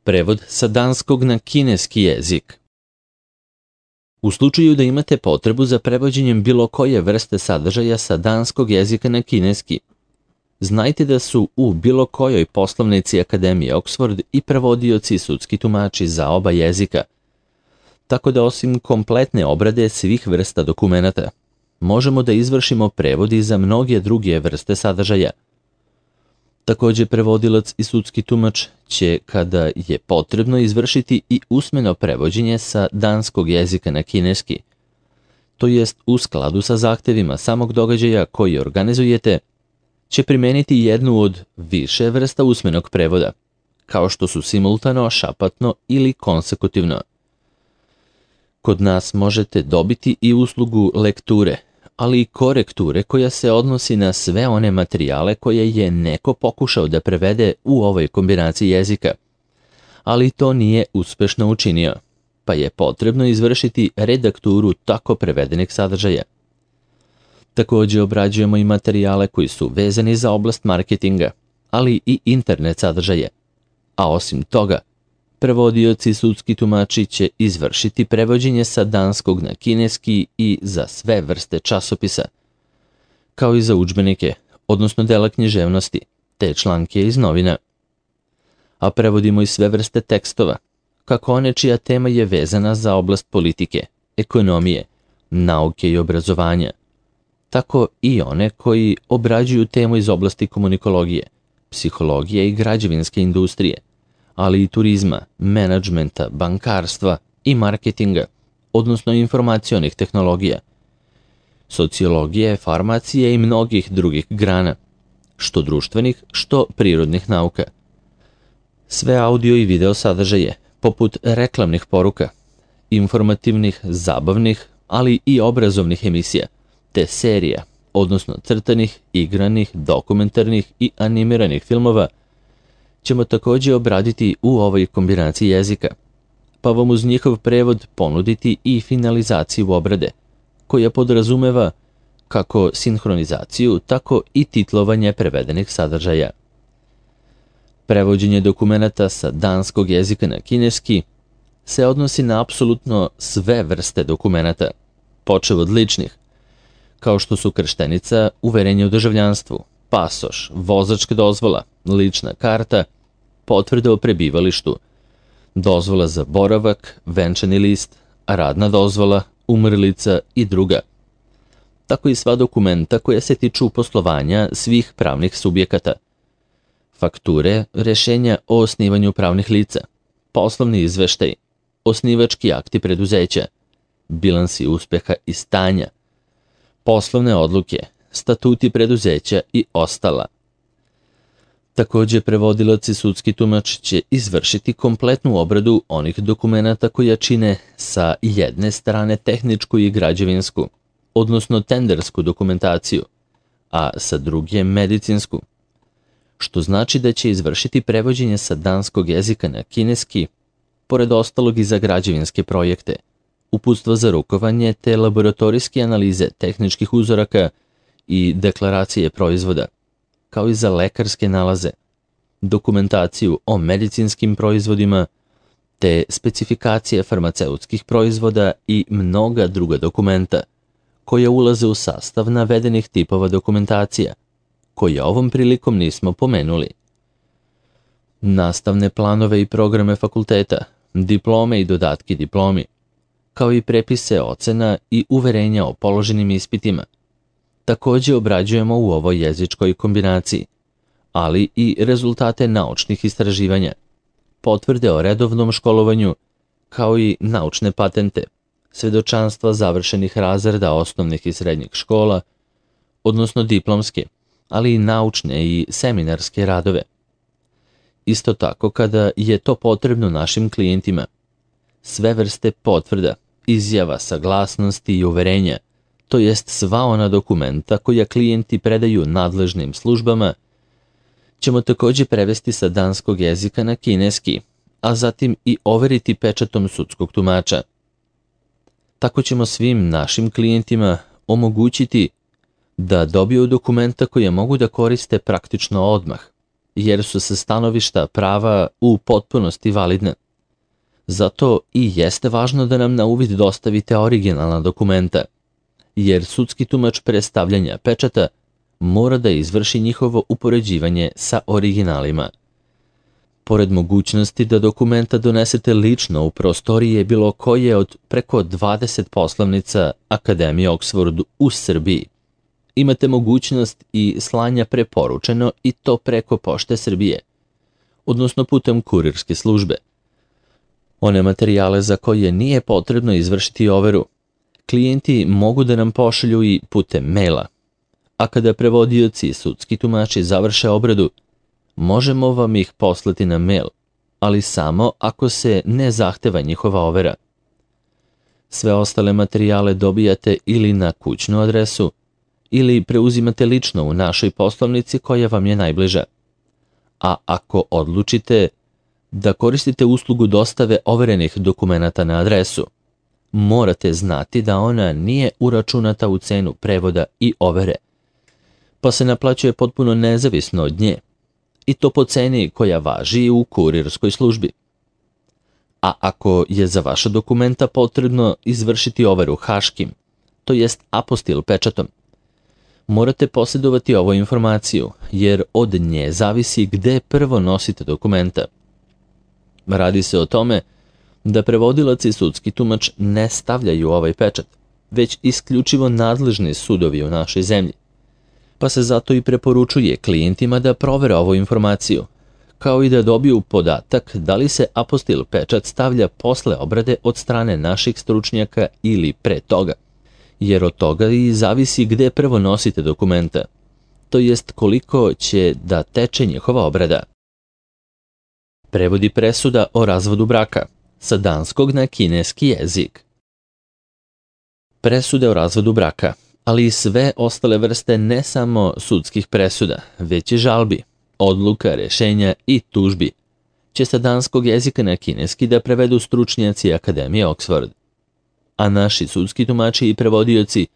Prevod sa danskog na kineski jezik. U slučaju da imate potrebu za prevođenjem bilo koje vrste sadržaja sa danskog jezika na kineski, znajte da su u bilo kojoj poslovnici Akademije Oxford i prevodioci i sudski tumači za oba jezika, tako da osim kompletne obrade svih vrsta dokumenata, možemo da izvršimo prevod i za mnoge druge vrste sadržaja. Također, prevodilac i sudski tumač će, kada je potrebno, izvršiti i usmeno prevođenje sa danskog jezika na kineski, to jest u skladu sa zahtevima samog događaja koji organizujete, će primeniti jednu od više vrsta usmenog prevoda, kao što su simultano, šapatno ili konsekutivno. Kod nas možete dobiti i uslugu lekture, ali i korekture koja se odnosi na sve one materijale koje je neko pokušao da prevede u ovoj kombinaciji jezika, ali to nije uspešno učinio, pa je potrebno izvršiti redakturu tako prevedenih sadržaja. Također obrađujemo i materijale koji su vezani za oblast marketinga, ali i internet sadržaje, a osim toga, prevodioci i sudski tumači će izvršiti prevođenje sa danskog na kineski i za sve vrste časopisa, kao i za udžbenike, odnosno dela književnosti, te članke iz novina. A prevodimo i sve vrste tekstova, kako one čija tema je vezana za oblast politike, ekonomije, nauke i obrazovanja, tako i one koji obrađuju temu iz oblasti komunikologije, psihologije i građevinske industrije, ali i turizma, menadžmenta, bankarstva i marketinga, odnosno informacionih tehnologija, sociologije, farmacije i mnogih drugih grana, što društvenih, što prirodnih nauka. Sve audio i video sadržaje, poput reklamnih poruka, informativnih, zabavnih, ali i obrazovnih emisija, te serija, odnosno crtanih, igranih, dokumentarnih i animiranih filmova, ćemo također obraditi u ovoj kombinaciji jezika, pa vam uz njihov prevod ponuditi i finalizaciju obrade, koja podrazumeva kako sinhronizaciju, tako i titlovanje prevedenih sadržaja. Prevođenje dokumenata sa danskog jezika na kineski se odnosi na apsolutno sve vrste dokumenata, počev od ličnih, kao što su krštenica, uverenje o državljanstvu, pasoš, vozačka dozvola, lična karta, potvrda o prebivalištu, dozvola za boravak, venčani list, radna dozvola, umrlica i druga. Tako i sva dokumenta koja se tiču poslovanja svih pravnih subjekata. Fakture, rješenja o osnivanju pravnih lica, poslovni izveštaj, osnivački akti preduzeća, bilansi uspeha i stanja, poslovne odluke, statuti preduzeća i ostala. Također, prevodilac i sudski tumač će izvršiti kompletnu obradu onih dokumenata koja čine sa jedne strane tehničku i građevinsku, odnosno tendersku dokumentaciju, a sa druge medicinsku, što znači da će izvršiti prevođenje sa danskog jezika na kineski, pored ostalog i za građevinske projekte, uputstva za rukovanje te laboratorijske analize tehničkih uzoraka i deklaracije proizvoda, kao i za lekarske nalaze, dokumentaciju o medicinskim proizvodima, te specifikacije farmaceutskih proizvoda i mnoga druga dokumenta, koja ulaze u sastav navedenih tipova dokumentacija, koje ovom prilikom nismo pomenuli. Nastavne planove i programe fakulteta, diplome i dodatki diplomi, kao i prepise ocena i uverenja o položenim ispitima, također obrađujemo u ovoj jezičkoj kombinaciji, ali i rezultate naučnih istraživanja, potvrde o redovnom školovanju, kao i naučne patente, svedočanstva završenih razreda osnovnih i srednjih škola, odnosno diplomske, ali i naučne i seminarske radove. Isto tako kada je to potrebno našim klijentima, sve vrste potvrda, izjava, saglasnosti i uverenja, to jest sva ona dokumenta koja klijenti predaju nadležnim službama, ćemo također prevesti sa danskog jezika na kineski, a zatim i overiti pečatom sudskog tumača. Tako ćemo svim našim klijentima omogućiti da dobiju dokumenta koje mogu da koriste praktično odmah, jer su sa stanovišta prava u potpunosti validne. Zato i jeste važno da nam na uvid dostavite originalna dokumenta, jer sudski tumač predstavljanja pečata mora da izvrši njihovo upoređivanje sa originalima. Pored mogućnosti da dokumenta donesete lično u prostorije bilo koje od preko 20 poslovnica Akademije Oxford u Srbiji, imate mogućnost i slanja preporučeno i to preko Pošte Srbije, odnosno putem kurirske službe. One materijale za koje nije potrebno izvršiti overu, klijenti mogu da nam pošalju i putem maila, a kada prevodioci i sudski tumači završe obradu, možemo vam ih poslati na mail, ali samo ako se ne zahteva njihova overa. Sve ostale materijale dobijate ili na kućnu adresu, ili preuzimate lično u našoj poslovnici koja vam je najbliža. A ako odlučite da koristite uslugu dostave overenih dokumenata na adresu, morate znati da ona nije uračunata u cenu prevoda i overe, pa se naplaćuje potpuno nezavisno od nje, i to po ceni koja važi u kurirskoj službi. A ako je za vaša dokumenta potrebno izvršiti overu haškim, to jest apostil pečatom, morate posjedovati ovu informaciju, jer od nje zavisi gde prvo nosite dokumenta. Radi se o tome da prevodilac i sudski tumač ne stavljaju ovaj pečat, već isključivo nadležni sudovi u našoj zemlji, pa se zato i preporučuje klijentima da provere ovu informaciju, kao i da dobiju podatak da li se apostil pečat stavlja posle obrade od strane naših stručnjaka ili pre toga, jer od toga i zavisi gde prvo nosite dokumenta, to jest koliko će da teče njihova obrada. Prevodi presuda o razvodu braka sa danskog na kineski jezik. Presude o razvodu braka, ali i sve ostale vrste ne samo sudskih presuda, već i žalbi, odluka, rešenja i tužbi, će sa danskog jezika na kineski da prevedu stručnjaci Akademije Oxford. A naši sudski tumači i prevodioci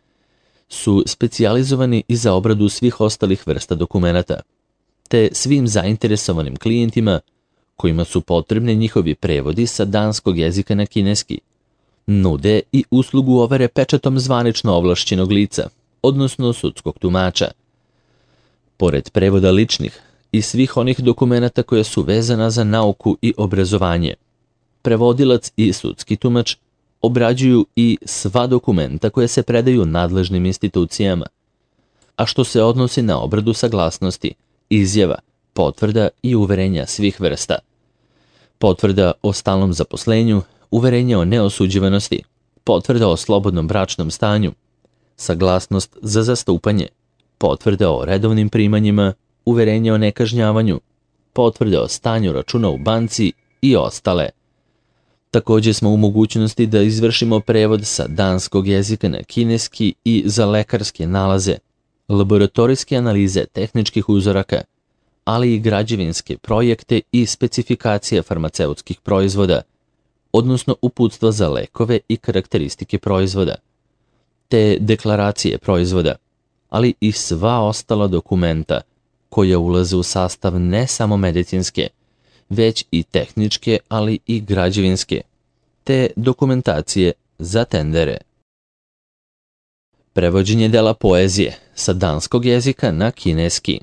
su specijalizovani i za obradu svih ostalih vrsta dokumenata, te svim zainteresovanim klijentima kojima su potrebni njihovi prevodi sa danskog jezika na kineski, nude i uslugu overe pečatom zvanično ovlašćenog lica, odnosno sudskog tumača. Pored prevoda ličnih i svih onih dokumenata koje su vezana za nauku i obrazovanje, prevodilac i sudski tumač obrađuju i sva dokumenta koje se predaju nadležnim institucijama, a što se odnosi na obradu saglasnosti, izjava, potvrda i uverenja svih vrsta. Potvrda o stalnom zaposlenju, uverenje o neosuđivanosti, potvrda o slobodnom bračnom stanju, saglasnost za zastupanje, potvrda o redovnim primanjima, uverenje o nekažnjavanju, potvrde o stanju računa u banci i ostale. Također smo u mogućnosti da izvršimo prevod sa danskog jezika na kineski i za lekarske nalaze, laboratorijske analize tehničkih uzoraka, ali i građevinske projekte i specifikacije farmaceutskih proizvoda, odnosno uputstva za lekove i karakteristike proizvoda, te deklaracije proizvoda, ali i sva ostala dokumenta koja ulaze u sastav ne samo medicinske, već i tehničke, ali i građevinske, te dokumentacije za tendere. Prevođenje dela poezije sa danskog jezika na kineski.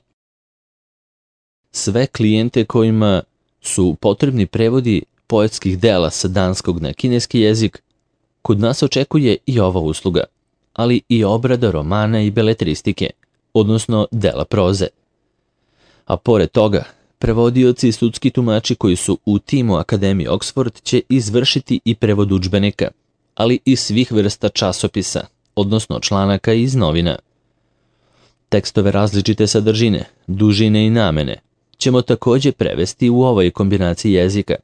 Sve klijente kojima su potrebni prevodi poetskih dela sa danskog na kineski jezik, kod nas očekuje i ova usluga, ali i obrada romana i beletristike, odnosno dela proze. A pored toga, prevodioci i sudski tumači koji su u timu Akademije Oxford će izvršiti i prevod udžbenika, ali i svih vrsta časopisa, odnosno članaka iz novina. Tekstove različite sadržine, dužine i namene ćemo također prevesti u ovoj kombinaciji jezika,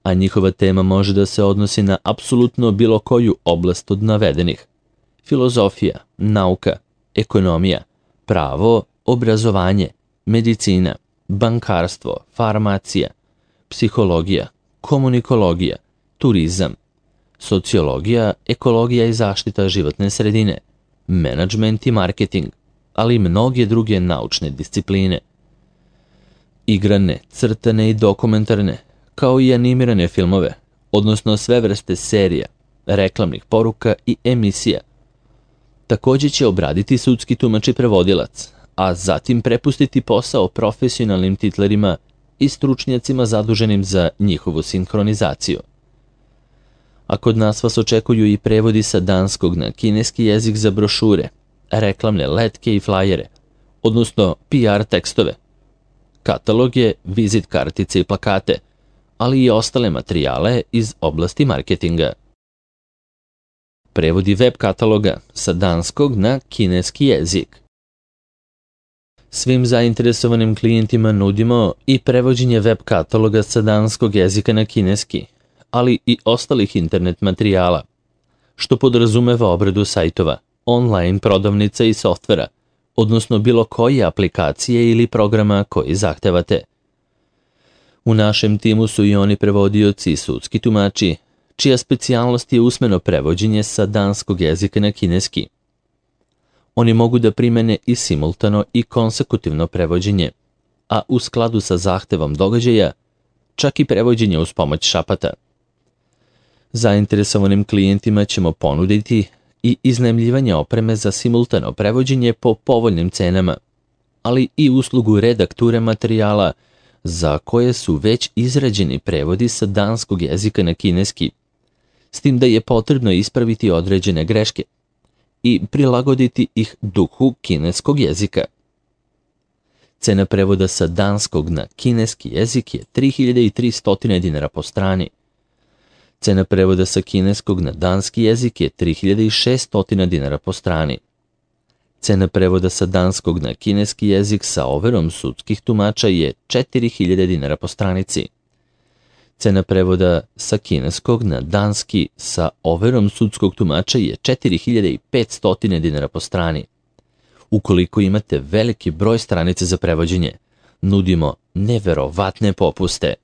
a njihova tema može da se odnosi na apsolutno bilo koju oblast od navedenih: filozofija, nauka, ekonomija, pravo, obrazovanje, medicina, bankarstvo, farmacija, psihologija, komunikologija, turizam, sociologija, ekologija i zaštita životne sredine, menadžment i marketing, ali i mnoge druge naučne discipline. igrane, crtane i dokumentarne, kao i animirane filmove, odnosno sve vrste serija, reklamnih poruka i emisija. Također će obraditi sudski tumač i prevodilac, a zatim prepustiti posao profesionalnim titlerima i stručnjacima zaduženim za njihovu sinhronizaciju. A kod nas vas očekuju i prevodi sa danskog na kineski jezik za brošure, reklamne letke i flajere, odnosno PR tekstove, kataloge, vizit kartice i plakate, ali i ostale materijale iz oblasti marketinga. Prevodi web kataloga sa danskog na kineski jezik. Svim zainteresovanim klijentima nudimo i prevođenje web kataloga sa danskog jezika na kineski, ali i ostalih internet materijala, što podrazumeva obradu sajtova, online prodavnica i softvera, odnosno bilo koje aplikacije ili programa koji zahtevate. U našem timu su i oni prevodioci i sudski tumači, čija specijalnost je usmeno prevođenje sa danskog jezika na kineski. Oni mogu da primene i simultano i konsekutivno prevođenje, a u skladu sa zahtevom događaja, čak i prevođenje uz pomoć šapata. Zainteresovanim klijentima ćemo ponuditi i iznajmljivanje opreme za simultano prevođenje po povoljnim cenama, ali i uslugu redakture materijala za koje su već izrađeni prevodi sa danskog jezika na kineski, s tim da je potrebno ispraviti određene greške i prilagoditi ih duhu kineskog jezika. Cena prevoda sa danskog na kineski jezik je 3300 dinara po strani. Cena prevoda sa kineskog na danski jezik je 3600 dinara po strani. Cena prevoda sa danskog na kineski jezik sa overom sudskih tumača je 4000 dinara po stranici. Cena prevoda sa kineskog na danski sa overom sudskog tumača je 4500 dinara po strani. Ukoliko imate veliki broj stranica za prevođenje, nudimo neverovatne popuste.